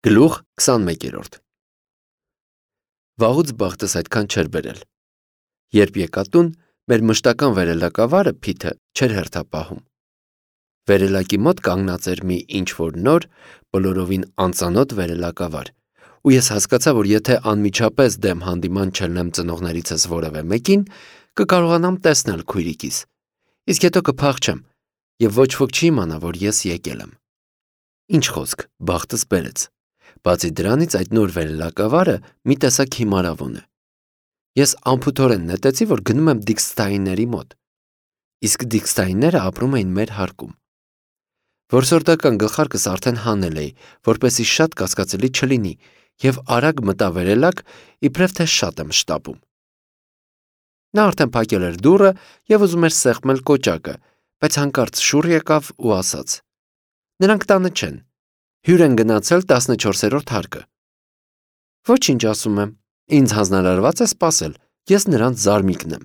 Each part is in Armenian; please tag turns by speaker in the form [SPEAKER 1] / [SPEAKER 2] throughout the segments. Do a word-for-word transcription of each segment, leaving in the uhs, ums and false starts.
[SPEAKER 1] Գլուխ քսանմեկերորդ Վաղուց բախտս այդքան չէր բերել։ Երբ եկա տուն, մեր մշտական վերելակավարը Փիթը չէր հերթապահում։ Վերելակի մոտ կանգնած էր մի ինչ-որ նոր, բոլորովին անծանոթ վերելակավար, ու ես հասկացա, որ եթե անմիջապես դեմ հանդիման չելնեմ ծնողներիցս որևէ մեկին, կկարողանամ տեսնել քույրիկիս, իսկ հետո կփախչեմ, եւ ոչ ոք չի իմանա, որ ես եկել եմ։ Ինչ խոսք, բախտս բերեց։ Բացի դրանից այդ նոր վերելակավարը մի տեսակ հիմարավուն է։ Ես անփութորեն նետեցի, որ գնում եմ Դիքստայինների մոտ, իսկ Դիքստայինները ապրում էին մեր հարկում։ Որսորդական գլխարկս արդեն հանել էի, որպեսզի շատ կասկածելի չլինի, եւ արագ մտա վերելակ, իբրև թե շատ եմ շտապում։ Նա արդեն փակել էր դուռը եւ ուզում էր սեղմել կոճակը, բայց հանկարծ շուռ եկավ ու ասաց. «Նրանք տանը չեն։ Հյուր են գնացել տասնչորսերորդ հարկը»։ Ոչինչ, ասում եմ, ինձ հանձնարարված է սպասել, ես նրանց զարմիկն եմ։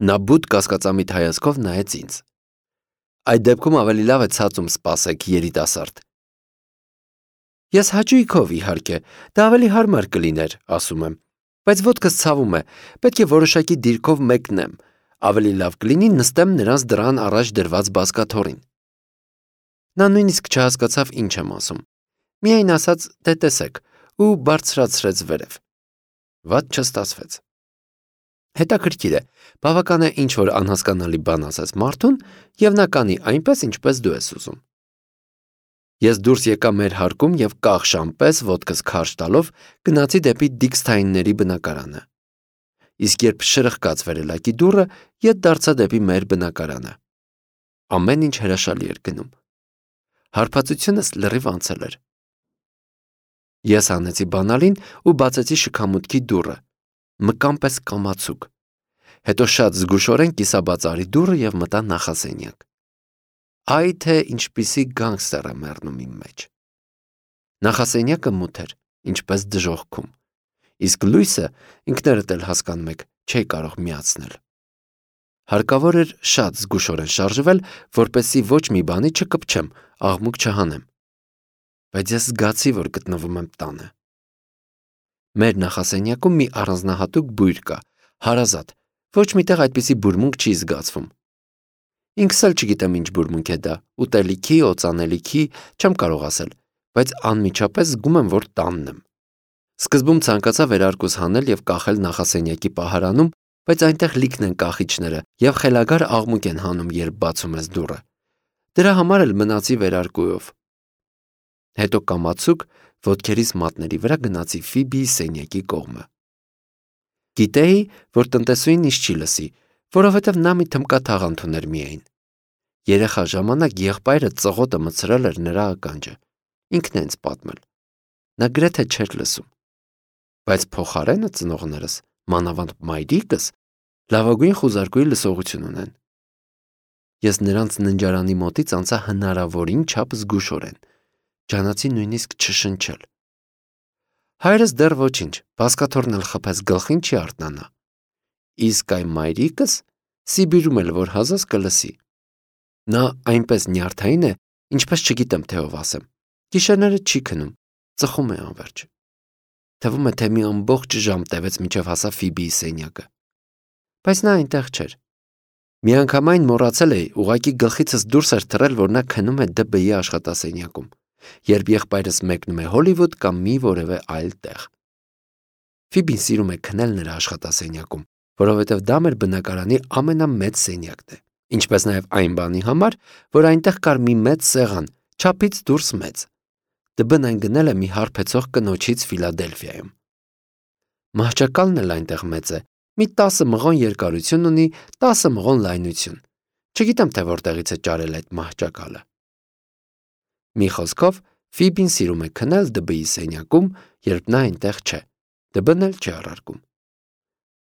[SPEAKER 1] Նա բութ կասկածամիտ հայացքով նայեց ինձ։ Այդ դեպքում ավելի լավ է ցածում սպասեք, երիտասարդ։ Ես հաճույքով, իհարկե, դա ավելի հարմար կլիներ, ասում եմ, բայց ոտքս ցավում է, պետք է որոշակի դիրքով մեկնեմ, ավելի լավ կլինի նստեմ նրանց դռան առաջ դրված բազկաթոռին։ Նա նույնիսկ չհասկացավ ինչ եմ ասում։ Միայն ասաց, դե տեսեք, ու բարձրացրեց վերև։ Վատ չստացվեց։ Հետաքրքիր է, բավական է ինչ-որ անհասկանալի բան ասես մարդուն, եւ նա կանի այնպես, ինչպես դու ես ուզում։ Ես դուրս եկա մեր հարկում եւ կախշան պես ոտքս քարշ տալով գնացի դեպի Դիքստայինների բնակարանը։ Իսկ երբ շրխկաց վերելակի դուռը, ետ դարձա դեպի մեր բնակարանը։ Ամեն ինչ հրաշալի էր գնում։ Հարբածությունս լրիվ անցել էր։ Ես հանեցի բանալին ու բացեցի շքամուտքի դուռը, մկան պես կամացուկ։ Հետո շատ զգուշորեն կիսաբաց արի դուռը եւ մտա նախասենյակ։ Այ թե ինչպիսի գանգստեր է մեռնում իմ մեջ։ Նախասենյակը մութ էր, ինչպես դժոխքում, իսկ լույսը, ինքներդ էլ հասկանում եք, չէի կարող միացնել։ Հարկավոր էր շատ զգուշորեն շարժվել, որպեսզի ոչ մի բանի չկպչեմ, աղմուկ չհանեմ։ Բայց ես զգացի, որ գտնվում եմ տանը։ Մեր նախասենյակում մի առանձնահատուկ բույր կա, հարազատ, ոչ միտեղ այդպիսի բուրմունք չի զգացվում։ Ինքս էլ չգիտեմ ինչ բուրմունք է դա, ուտելիքի, օծանելիքի, չեմ կարող ասել, բայց անմիջապես զգում եմ, որ տանն եմ։ Սկզբում ցանկացա վերարկուս հանել եւ կախել նախասենյակի պահարանում, բայց այնտեղ լիքն են կախիչները եւ խելագար աղմուկ են հանում, երբ բացում ես դուռը։ Դրա համար էլ մնացի վերարկուով։ Հետո կամացուկ ոտքերիս մատների վրա գնացի Ֆիբիի սենյակի կողմը։ Գիտեի, որ տնտեսուհին ինձ չի լսի, որովհետև նա մի թմկա թաղանթ ուներ միայն։ Երեխա ժամանակ եղբայրը ծղոտը մցրել էր նրա ականջը, ինքն է ինձ պատմել։ Նա գրեթե չէր լսում։ Բայց փոխարենը ծնողներս, մանավանդ մայրիկս, լավագույն խուզարկուի լսողություն ունեն։ Ես նրանց ննջարանի մոտից անցա հնարավորին չափ զգուշորեն, ջանացի նույնիսկ չշնչել։ Հայրս դեռ ոչինչ, բազկաթոռն էլ խփեց, գլխին չի արթնանա։ Իսկ այ մայրիկս Սիբիրում էլ որ հազես կլսի։ Նա այնպես նյարդային է, ինչպես չգիտեմ թե ով ասեմ։ Գիշերները չի քնում, ծխում է անverջ։ Թվում է, թե մի ամբողջ ժամ տևեց մինչև հասա Ֆիբիի սենյակը։ Բայց նա այնտեղ չէր։ Միանգամայն մոռացել էի, ուղղակի գլխիցս դուրս էր թռել, որ նա քնում է ԴԲ-ի աշխատասենյակում, երբ եղբայրս մեկնում է Հոլիվուդ կամ մի որևէ այլ տեղ։ Ֆիբին սիրում է քնել նրա աշխատասենյակում, որովհետև դա մեր բնակարանի ամենամեծ սենյակն է, ինչպես նաև այն բանի համար, որ այնտեղ կար մի մեծ սեղան, չափից դուրս մեծ։ ԴԲ-ն այն գնել է մի հարբեցող կնոջից Ֆիլադելֆիայում։ Մահճակալն էլ այնտեղ մեծ է, մի տասը մղոն երկարություն ունի, տասը մղոն լայնություն։ Չգիտեմ, թե որտեղից է ճարել այդ մահճակալը։ Մի խոսքով, Ֆիբին սիրում է քնել ԴԲ-ի սենյակում, երբ նա այնտեղ չէ։ ԴԲ-ն էլ չի առարկում։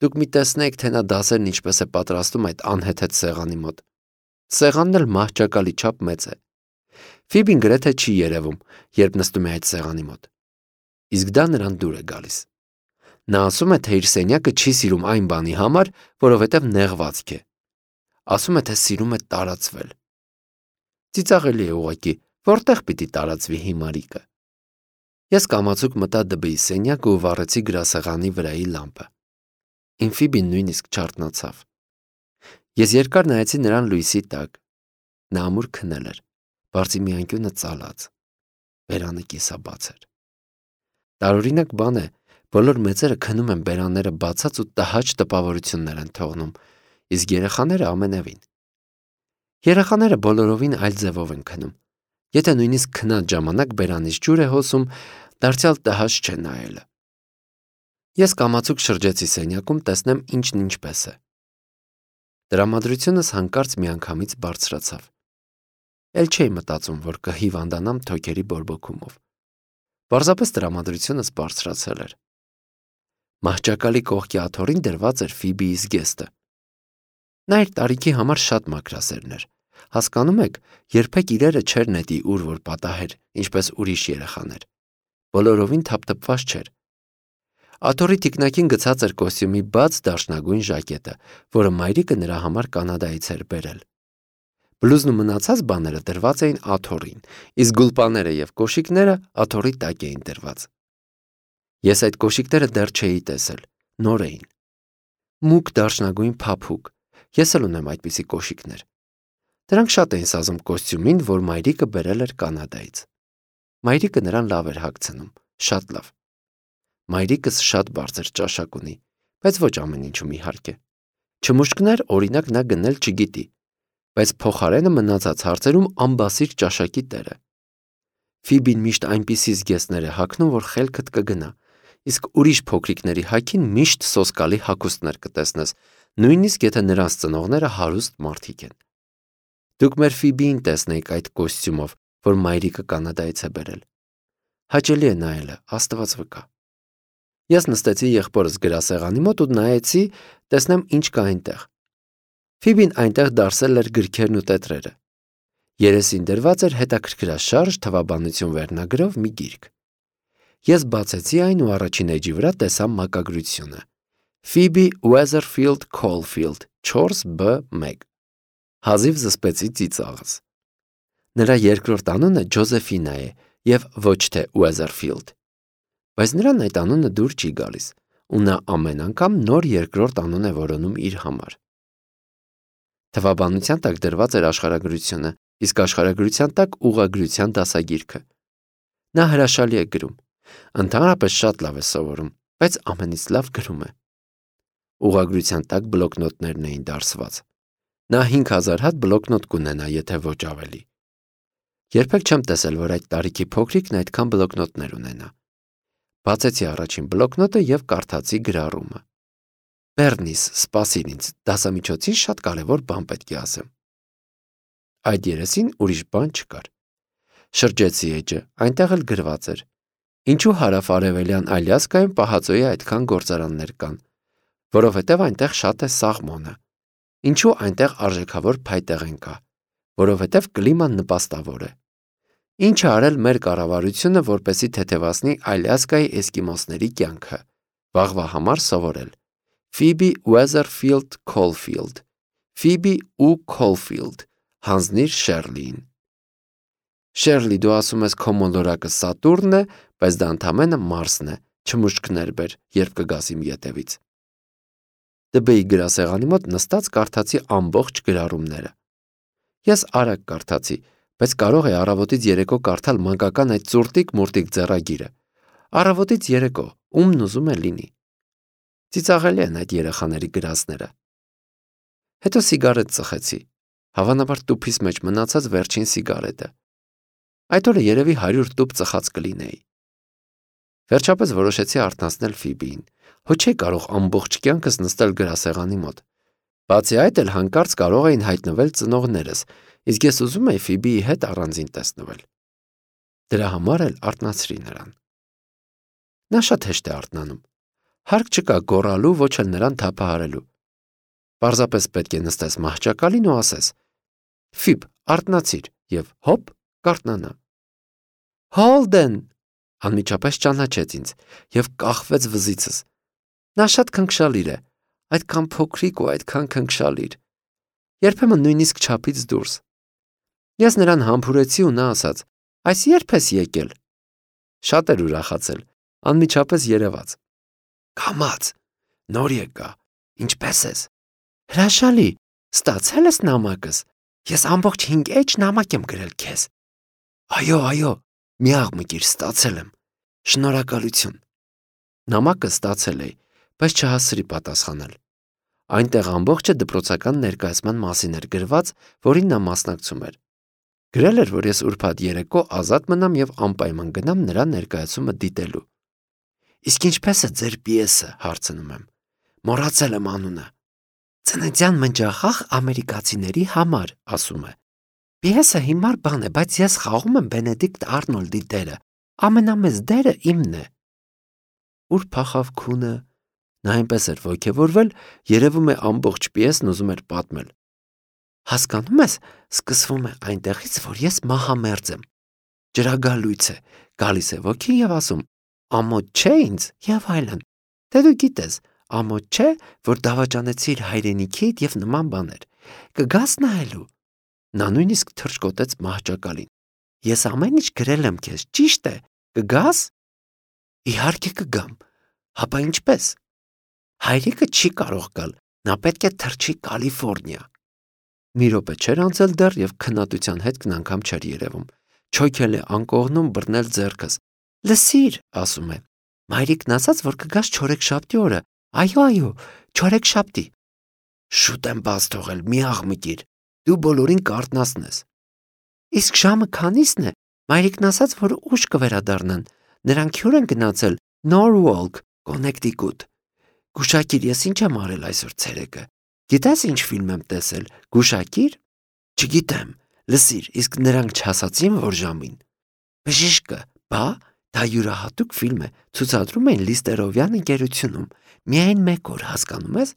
[SPEAKER 1] Դուք մի տեսնեք, թե նա դասերն ինչպես է պատրաստում այդ անհեթեթ սեղանի մոտ։ Սեղանն էլ մահճակալի չափ մեծ է։ Ֆիբին գրեթե չի երևում, երբ նստում է այդ սեղանի մոտ։ Իսկ դա նրան դուր է գալիս։ Նա ասում է, թե իր սենյակը չի սիրում այն բանի համար, որովհետև նեղվածք է։ Ասում է, թե սիրում է տարածվել։ Ծիծաղելի է ուղղակի, որտեղ պիտի տարածվի հիմարիկը։ Ես կամացուկ մտա դբեի սենյակը ու վառեցի գրասեղանի վրայի լամպը։ Իմ Ֆիբին նույնիսկ չարթնացավ։ Ես երկար նայեցի նրան լույսի տակ։ Նա ամուր քնել էր, բարձի մի անկյունը ծալած, բերանը կիսաբաց էր։ Տարօրինակ բան է, բոլոր մեծերը քնում են բերանները բացած ու տհաճ տպավորություններ են թողնում, իսկ երեխաները ամենևին։ Երեխաները բոլորովին այլ ձևով են քնում։ Եթե նույնիսկ քնած ժամանակ բերանից ջուր է հոսում, դարձյալ տհաճ չէ նայելը։ Ես կամացուկ շրջեցի սենյակում, տեսնեմ ինչն ինչպես է։ Տրամադրությունս հանկարծ միանգամից բարձրացավ։ Էլ չէի մտածում, որ կհիվանդանամ թոքերի բորբոքումով։ Պարզապես տրամադրությունս բարձրացել էր։ Մահճակալի կողքի աթոռին դրված էր Ֆիբիի զգեստը։ Նա իր տարիքի համար շատ մաքրասերն էր։ Հասկանում եք, երբեք իրերը չէր նետի ուր որ պատահեր, ինչպես ուրիշ երեխաներ։ Բոլորովին թափթփված չէր։ Աթոռի թիկնակին գցած էր կոստյումի բաց դարչնագույն ժակետը, որը մայրիկը նրա համար Կանադայից էր բերել։ Բլուզն ու մնացած բաները դրված էին աթոռին, իսկ գուլպաները եւ կոշիկները աթոռի տակ էին դրված։ Ես այդ կոշիկները դեռ չէի տեսել, նոր էին։ Մուգ դարչնագույն փափուկ, ես էլ ունեմ այդպիսի կոշիկներ։ Դրանք շատ էին սազում կոստյումին, որ մայրիկը բերել էր Կանադայից։ Մայրիկը նրան լավ էր հագցնում, շատ լավ։ Մայրիկս շատ բարձր ճաշակ ունի, բայց ոչ ամեն ինչում իհարկե։ Չմուշկներ, օրինակ, նա գնել չգիտի, բայց փոխարենը մնացած հարցերում ամբասիր ճաշակի տեր է։ Ֆիբին միշտ այնպիսի զգեստներ է հագնում, որ խելքդ կգնա, իսկ ուրիշ փոքրիկների հագին միշտ սոսկալի հագուստներ կտեսնես, նույնիսկ եթե նրանց ծնողները հարուստ մարդիկ են։ Դուք մեր Ֆիբիին տեսնեիք այդ կոստյումով, որ մայրիկը Կանադայից է բերել։ Հաճելի է նայելը, Աստված վկա։ Ես նստեցի եղբորս գրասեղանի մոտ ու նայեցի, տեսնեմ ինչ կա այնտեղ։ Ֆիբին այնտեղ դարսել էր գրքերն ու տետրերը։ Երեսին դրված էր հետաքրքրաշարժ թվաբանություն վերնագրով մի գիրք։ Ես բացեցի այն ու առաջին էջի վրա տեսա մակագրությունը։ Phoebe Weatherfield Caulfield չորս B մեկ։ Հազիվ զսպեցի ծիծաղս։ Նրա երկրորդ անունը Ջոզեֆինա է եւ ոչ թե Weatherfield։ Բայց նրան այդ անունը դուր չի գալիս, ու նա ամեն անգամ նոր երկրորդ անուն է որոնում իր համար։ Թվաբանության տակ դրված էր աշխարհագրությունը, իսկ աշխարհագրության տակ ուղղագրության դասագիրքը։ Նա հրաշալի է գրում։ Ընդհանրապես շատ լավ է սովորում, բայց ամենից լավ գրում է։ Ուղղագրության տակ բլոկնոտներն էին դարսված։ Նա հինգ հազար հատ բլոկնոտ կունենա, եթե ոչ ավելի։ Երբեք չեմ տեսել, որ այդ տարիքի փոքրիկն այդքան բլոկնոտներ ունենա։ Բացեցի առաջին բլոկնոտը եւ կարդացի գրառումը։ Բեռնիս, սպասիր ինձ, դասամիջոցին շատ կարևոր բան պետք է ասեմ։ Այդ երեսին ուրիշ բան չկար։ Շրջեցի էջը, այնտեղ էլ գրված էր. Ինչու հարավ-արևելյան Ալյասկայում պահածոյի այդքան գործարաններ կան, որովհետև այնտեղ շատ է սաղմոնը։ Ինչու այնտեղ արժեքավոր փայտեղեն կա, որովհետև կլիման նպաստավոր է։ Ինչ է արել մեր կառավարությունը, որպեսզի թեթևացնի Ալյասկայի էսկիմոսների կյանքը։ Վաղվա համար սովորել։ Phoebe Weatherfield Caulfield, Phoebe ու Caulfield, հանձնիր Շերլիին։ Շերլի, դու ասում ես քո մոլորակը Սատուրնն է, բայց դա ընդամենը Մարսն է, չմուշկներ բեր, երբ կգաս իմ ետևից։ Դբեի գրասեղանի մոտ նստած կարդացի ամբողջ գրառումները։ Ես արագ կարդացի, բայց կարող է առավոտից երեկո կարդալ մանկական այդ ծուրտիկ-մուրտիկ ձեռագիրը։ Առավոտից երեկո, ումն ուզում է լինի։ Ծիծաղելի են այդ երեխաների գրածները։ Հետո սիգարետ ծխեցի, հավանաբար տուփիս մեջ մնացած վերջին սիգարետը։ Այդ օրը երևի հարյուր տուփ ծխած կլինեի։ Վերջապես որոշեցի արթնացնել Ֆիբիին, հո չէի կարող ամբողջ կյանքս նստել գրասեղանի մոտ։ Բացի այդ էլ հանկարծ կարող էին հայտնվել ծնողներս, իսկ ես ուզում էի Ֆիբիի հետ առանձին տեսնվել։ Դրա համար էլ արթնացրի նրան։ Նա շատ հեշտ է արթնանում։ Հարկ չկա գոռալու, ոչ էլ նրան թափահարելու։ Պարզապես պետք է նստես մահճակալին ու ասես. Ֆիբ, արթնացիր եւ հոպ, կարթնանա։ Հոլդեն, անմիջապես ճանաչեց ինձ եւ կախվեց վզիցս։ Նա շատ քնքշալիր է, այդքան փոքրիկ ու այդքան քնքշալիր։ Երբեմն նույնիսկ չափից դուրս։ Ես նրան համբուրեցի ու նա ասաց. Այս երբ ես եկել։ Շատ էր ուրախացել, անմիջապես երևաց։ Կամաց, նոր եկա, ինչպես ես։ Հրաշալի, ստացել ես նամակս։ Ես ամբողջ հինգ էջ նամակ եմ գրել քեզ։ Այո, այո, մի աղմկիր, ստացել եմ։ Շնորհակալություն։ Նամակը ստացել էի, բայց չհասցրի պատասխանել։ Այնտեղ ամբողջը դպրոցական ներկայացման մասին էր գրված, որին նա մասնակցում էր։ Գրել էր, որ ես ուրբաթ երեկո ազատ մնամ եւ անպայման գնամ նրա ներկայացումը դիտելու։ Իսկ ինչպես է ձեր պիեսը, հարցնում եմ։ Մոռացել եմ անունը։ Ծննդյան մնջախաղ ամերիկացիների համար, ասում է։ Պիեսը հիմար բան է, բայց ես խաղում եմ Բենեդիկտ Արնոլդի դերը։ Ամենամեծ դերը իմն է։ Ուր փախավ քունը։ Նա այնպես էր ոգևորվել, երևում է ամբողջ պիեսն ուզում էր պատմել։ Հասկանում ես, սկսվում է այնտեղից, որ ես մահամերձ եմ։ Ջրագալույց է, գալիս է ոգին եւ ասում. ամոթ չէ ինձ եւ այլն։ Դե դու գիտես, ամոթ չէ, որ դավաճանեցիր հայրենիքիդ եւ նման բաներ։ Կգաս նայելու։ Նա նույնիսկ թրջկոտեց մահճակալին։ Ես ամեն ինչ գրել եմ քեզ, ճիշտ է։ Կգաս։ Իհարկե կգամ։ Հապա ինչպես։ Հայրիկը չի կարող գալ, նա պետք է թռչի Կալիֆոռնիա։ Մի րոպե չէր անցել դեռ եւ քննադության հետքն անգամ չէր երևում։ Չոքել է անկողնում բռնել ձեռքս։ Լսիր, ասում է։ Մայրիկն ասաց, որ կգաս չորեքշաբթի օրը։ Այո, այո, չորեքշաբթի։ Շուտ եմ բաց թողել, մի աղմկիր։ Դու բոլորին կարտնասնես։ Իսկ ժամը քանիսն է։ Մայրիկն ասաց, որ ուշ կվերադառնան։ Նրանք հյուր են գնացել Նորվոլք, Կոնեկտիկուտ։ Գուշակիր, ես ինչ եմ արել այսօր ցերեկը։ Գիտես ինչ ֆիլմ եմ տեսել։ Գուշակիր։ Չգիտեմ։ Լսիր, իսկ նրանք չասացին, որ ժամին։ Բժիշկը, բա, դա յուրահատուկ ֆիլմ է, ցուցադրում են Լիստերովյան ընկերությունում։ Միայն մեկ օր, հասկանում ես։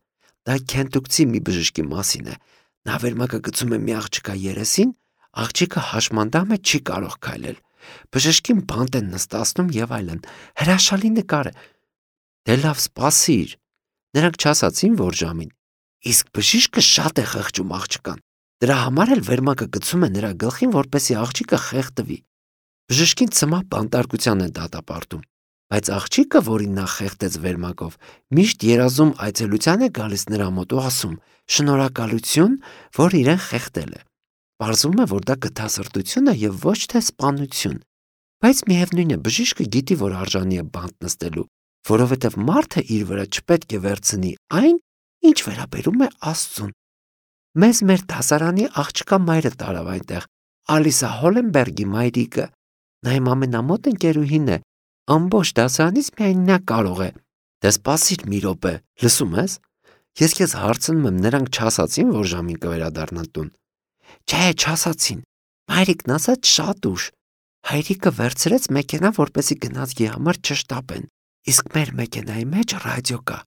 [SPEAKER 1] Դա Քենտուկցի մի բժշկի մասին է։ Նա վերմակը գցում է մի աղջկա երեսին, աղջիկը հաշմանդամ է, չի կարող քայլել։ Բժշկին բանտ են նստացնում եւ այլն։ Հրաշալի նկար է։ Դե լավ, սպասիր։ Նրանք չասացին, որ ժամին։ Իսկ բժիշկը շատ է խղճում աղջկան։ Դրա համար էլ վերմակը գցում է նրա գլխին, որպեսզի աղջիկը խեղդվի։ Բժշկին ցմահ բանտարկության են դատապարտում, բայց աղջիկը, որին նա խեղդեց վերմակով, միշտ երազում այցելության է գալիս նրա մոտ ու ասում. շնորհակալություն, որ իրեն խեղդել է։ Պարզվում է, որ դա գթասրտություն է եւ ոչ թե սպանություն։ Բայց միևնույն է, բժիշկը գիտի, որ արժանի է բանտ նստելու, որովհետեւ մարդը իր վրա չպետք է վերցնի այն, ինչ վերաբերում է Աստծուն։ Մեզ մեր դասարանի աղջկա մայրը տարավ այնտեղ, Ալիսա Հոլենբերգի մայրիկը։ Նա իմ ամենամոտ ընկերուհին է, ամբողջ դասարանից միայն նա կարող է։ Դե սպասիր մի րոպե, լսում ես։ Ես քեզ հարցնում եմ, նրանք չասացին, որ ժամին կվերադառնան տուն։ Չէ, չասացին։ Մայրիկն ասաց շատ ուշ։ Հայրիկը վերցրեց մեքենա, որպեսզի գնացքի համար չշտապեն։ Իսկ մեր մեքենայի մեջ ռադիո կա։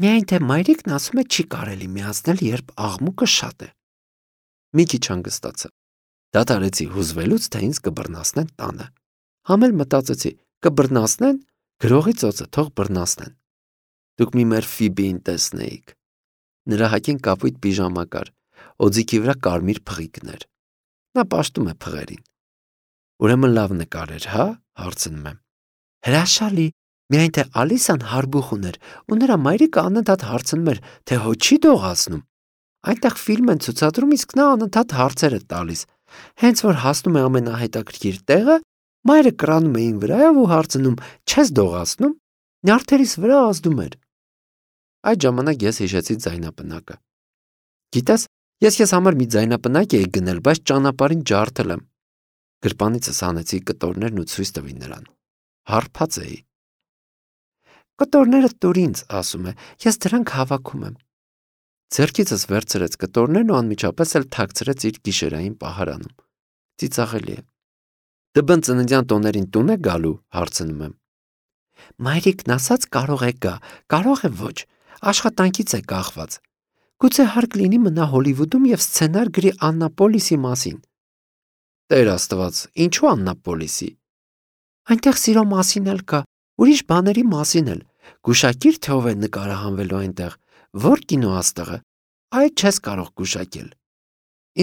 [SPEAKER 1] Միայն թե մայրիկն ասում է չի կարելի միացնել, երբ աղմուկը շատ է։ Մի քիչ հանգստացա։ Դադարեցի հուզվելուց, թե ինձ կբռնասնեն տանը։ Համ էլ մտածեցի, կբռնասնեն, գրողի ծոցը թող բռնասնեն։ Դուք մի մեր Ֆիբիին տեսնեիք։ Նրա հագին կապույտ պիժամա կար, օձիքի վրա կարմիր փղիկներ։ Նա պաշտում է փղերին։ Ուրեմն լավ նկար էր, հա, հարցնում եմ։ Հրաշալի, միայն թե Ալիսան հարբուխ ուներ, ու նրա մայրիկը անընդհատ հարցնում էր, թե հո չի դողացնում։ Այնտեղ ֆիլմ են ցուցադրում, իսկ նա անընդհատ հարցեր է տալիս։ Հենց որ հասնում է ամենահետաքրքիր տեղը, մայրը կրանում է ին վրայով ու հարցնում. չես դողացնում։ Նյարդերիս վրա ազդում էր։ Այդ ժամանակ ես հիշեցի ձայնապնակը։ Գիտես, ես քեզ համար մի ձայնապնակ էի գնել, բայց ճանապարհին ջարդել եմ։ Գրպանիցս հանեցի կտորներն ու ցույց տվի նրան։ Հարբած էի։ Կտորները տուր ինձ, ասում է, ես դրանք հավաքում եմ։ Ձեռքիցս վերցրեց կտորներն ու անմիջապես էլ թաքցրեց իր գիշերային պահարանում։ Ծիծաղելի է։ Դբն ծննդյան տոներին տուն է գալու, հարցնում եմ։ Մայրիկն ասաց կարող է գա, կարող է ոչ, աշխատանքից է կախված։ Գուցե հարկ լինի մնա Հոլիվուդում եւ սցենար գրի Աննապոլիսի մասին։ Տեր Աստված, ինչու Աննապոլիսի։ Այնտեղ սիրո մասին էլ կա, ուրիշ բաների մասին էլ։ Գուշակիր, թե ով է նկարահանվելու այնտեղ, որ կինոաստղը։ Այդ չես կարող գուշակել։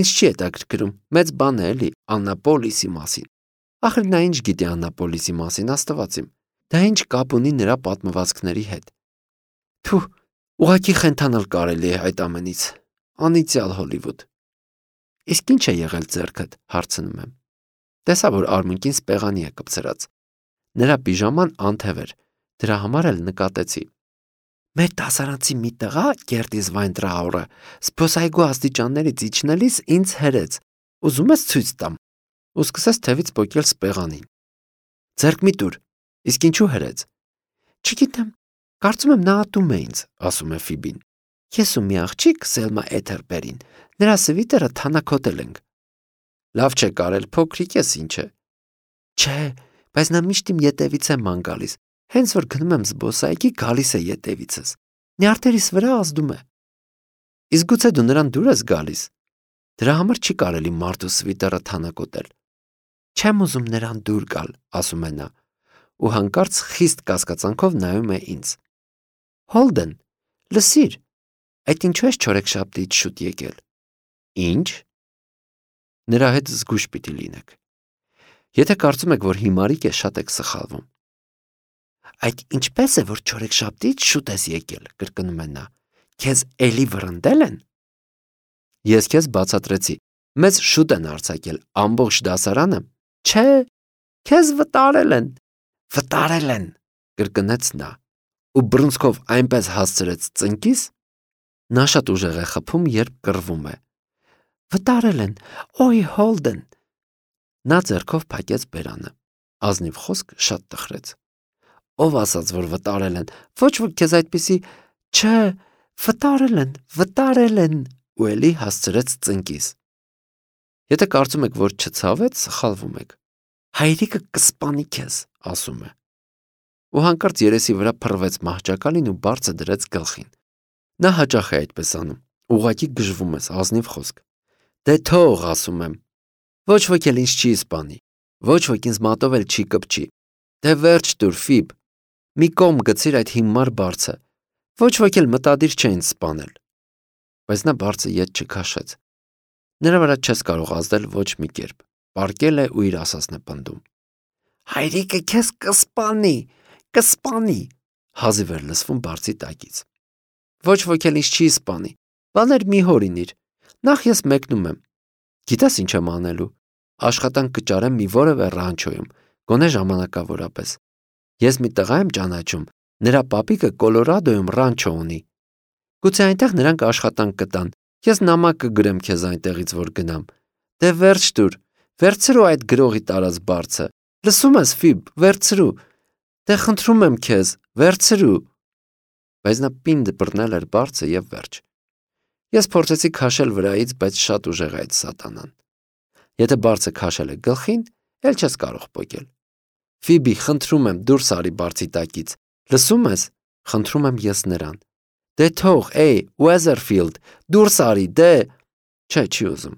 [SPEAKER 1] Ինչ չի հետաքրքրում, մեծ բան է էլի Աննապոլիսի մասին։ Ախր նա ինչ գիտի Աննապոլիսի մասին, աստված իմ։ Դա ինչ կապ ունի նրա պատմվածքների հետ։ Թու, ուղղակի խենթանալ կարելի է այդ ամենից։ Անիծյալ Հոլիվուդ։ Իսկ ինչ է եղել ձեռքդ, հարցնում եմ։ Տեսա, որ արմունկին սպեղանի է կպցրած։ Նրա պիժաման անթև էր, դրա համար էլ նկատեցի։ Մեր դասարանցի մի տղա, Կերտիս Վայնտրաուրը, զբոսայգու աստիճաններից իջնելիս ինձ հրեց, ուզում ես ցույց տամ, ու սկսեց թևից պոկել սպեղանին։ Ձեռք մի տուր, իսկ ինչու հրեց։ Չգիտեմ, կարծում եմ նա ատում է ինձ, ասում է Ֆիբին։ Ես ու մի աղջիկ, Սելմա Էթերբերին, նրա սվիտերը թանաքոտել ենք։ Լավ չէ կարել, փոքրիկ ես ինչ է։ Չէ, բայց նա միշտ իմ ետևից է ման գալիս, հենց որ գնում եմ զբոսայգի, գալիս է ետևիցս, նյարդերիս վրա ազդում է։ Իսկ գուցե դու նրան դուր ես գալիս։ Դրա համար չի կարելի մարդու սվիտերը թանաքոտել։ Չեմ ուզում նրան դուր գալ, ասում է նա, ու հանկարծ խիստ կասկածանքով նայում է ինձ։ Հոլդեն, լսիր, այդ ինչու ես չորեքշաբթիից շուտ եկել։ Ինչ։ Նրա հետ զգույշ պիտի լինեք։ Եթե կարծում եք, որ հիմարիկ է, շատ եք սխալվում։ Այդ ինչպես է, որ չորեքշաբթիից շուտ ես եկել, կրկնում է նա։ Քեզ էլի վռնդել են։ Ես քեզ բացատրեցի, մեզ շուտ են արձակել, ամբողջ դասարանը։ Չէ, քեզ վտարել են։ Վտարել են, կրկնեց նա, ու բռունցքով այնպես հասցրեց ծնկիս։ Նա շատ ուժեղ է խփում, երբ կռվում է։ Վտարել են, օй Հոլդեն։ Նա ձեռքով փակեց բերանը։ Ազնիվ խոսք շատ տխրեց։ Ով ասաց, որ վտարել են, ոչ որ քեզ այդպիսի, չէ, վտարել են, վտարել են, ու էլի հասցրեց ծնկիս։ Եթե կարծում եք, որ չցավեց, սխալվում եք։ Հայրիկը կսպանի քեզ, ասում է։ Ու հանկարծ երեսի վրա փռվեց մահճակալին ու բարձը դրեց գլխին։ Նա հաճախ է այդպես անում, ուղղակի գժվում ես, ազնիվ խոսք։ Դե թող, ասում եմ։ Ոչ ոք էլ ինձ չի սպանի, ոչ ոք ինձ մատով էլ չի կպչի։ Դե վերջ տուր, Ֆիբ, մի կողմ գցիր այդ հիմար բարձը, ոչ ոք էլ մտադիր չէ ինձ սպանել։ Բայց նա բարձը ետ չքաշեց։ Նրա վրա չես կարող ազդել ոչ մի կերպ, պառկել է ու իր ասածն է պնդում։ Հայրիկը քեզ կսպանի, կսպանի, հազիվ էր լսվում բարձի տակից։ Ոչ ոք էլ ինձ չի սպանի, բաներ մի հորինիր, նախ ես մեկնում եմ։ Գիտես ինչ եմ անելու, աշխատանք կճարեմ մի որևէ ռանչոյում, գոնե ժամանակավորապես։ Ես մի տղա եմ ճանաչում, նրա պապիկը Կոլորադոյում ռանչո ունի։ Գուցե այնտեղ նրանք աշխատանք կտան, ես նամակ կգրեմ քեզ այնտեղից, որ գնամ։ Դե վերջ տուր, վերցրու այդ գրողի տարած բարձը, լսում ես Ֆիբ, վերցրու, դե խնդրում եմ քեզ, վերցրու։ Բայց նա պինդ բռնել էր բարձը և վերջ։ Ես փորձեցի քաշել վրայից, բայց շատ ուժեղ է այդ սատանան։ Եթե բարձը քաշել է գլխին, էլ չես կարող պոկել։ Ֆիբի, խնդրում եմ, դուրս արի բարձի տակից։ Լսում ես, խնդրում եմ ես նրան։ Դե թող, էй, Ուեզերֆիլդ, դուրս արի, դե։ Չէ, չի ուզում։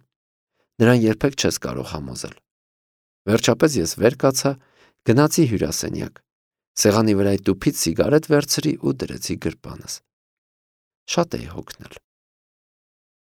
[SPEAKER 1] Նրան երբեք չես կարող համոզել։ Վերջապես ես վեր կացա, գնացի հյուրասենյակ։ Սեղանի վրայի տուփից սիգարետ վերցրի ու դրեցի գրպանս։ Շատ էի հոգնել։